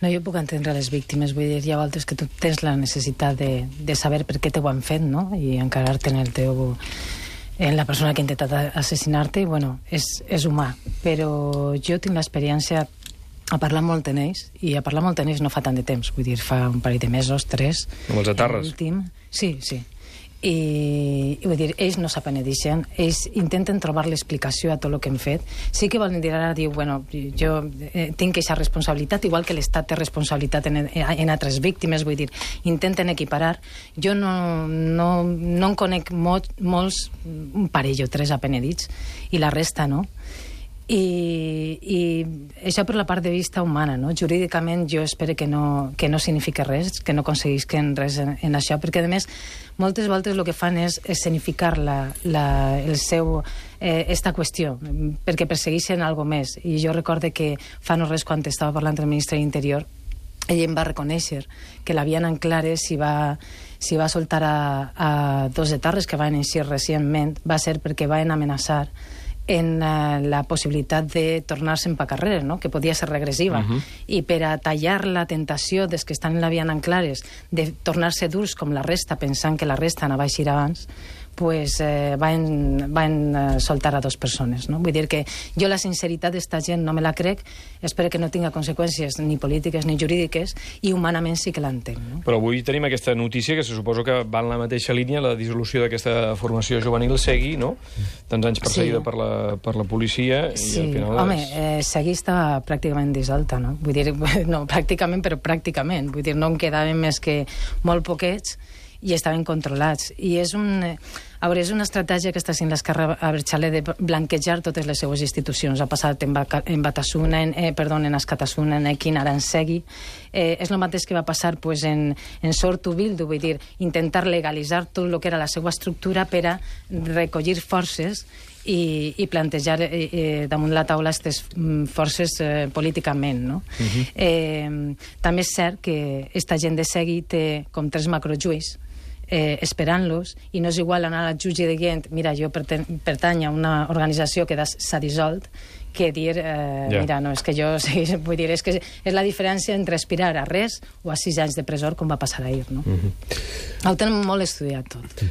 No, jo puc entendre les víctimes, vull dir, hi ha voltes que tu tens la necessitat de saber per què t'ho han fet, no? I encarar-te en la persona que ha intentat assassinar-te, i bueno, és humà. Però jo tinc l'experiència a parlar molt en ells, i a parlar molt en ells no fa tant de temps, vull dir, fa un parell de mesos, 3. Amb els atarres? Sí. I vull dir, ells no s'apenedixen, ells intenten trobar l'explicació a tot el que hem fet. Sí que volen dir ara, bueno, jo tinc aquesta responsabilitat, igual que l'Estat té responsabilitat en altres víctimes, vull dir, intenten equiparar. Jo no en conec molts, un parell o 3 apenedits, i la resta no. I això per la part de vista humana, no? Jurídicament jo espero que no significa res, que no aconseguisquen res en això, perquè a més moltes voltes el que fan és escenificar esta qüestió, perquè persegueixen alguna més. I jo recorde que fa no res, quan estava parlant amb el ministre de l'Interior, ell em va reconèixer que l'havien en clares si va soltar a 2 etarres que van eixir recentment, va ser perquè van amenaçar en la possibilitat de tornar-se'n pa carrer, no? Que podia ser regressiva. I per a tallar la tentació des que estan en la via en clares de tornar-se durs com la resta, pensant que la resta anava a eixir abans, pues van soltar a 2 persones, no? Vull dir que jo la sinceritat d'esta gent no me la crec, espero que no tinga conseqüències ni polítiques ni jurídiques, i humanament sí que l'entenc, no? Però avui tenim aquesta notícia que se suposa que va en la mateixa línia, la dissolució d'aquesta formació juvenil Segui, no? Tants anys perseguida per la policia, i al final... Home, Segui estava pràcticament dissolta, no? Vull dir, no pràcticament, però pràcticament. Vull dir, no en quedaven més que molt poquets, i estaven controlats. I és una estratègia que està fent l'esquerra Abertzale de blanquejar totes les seues institucions. Ha passat en Batasuna, en Askatasuna, en Ekin, ara en Segui. És el mateix que va passar en Sortu Bildu, vull dir, intentar legalitzar tot el que era la seva estructura per a recollir forces i plantejar damunt la taula aquestes forces políticament, no? També és cert que aquesta gent de Segui té com 3 macrojuis esperant-los, i no és igual anar al jutge dient, mira, jo pertany a una organització que s'ha dissolt, que dir, mira, no, és que jo vull dir, és que és la diferència entre aspirar a res o a 6 anys de presó, com va passar ahir, no? Ho tenen molt estudiat tot.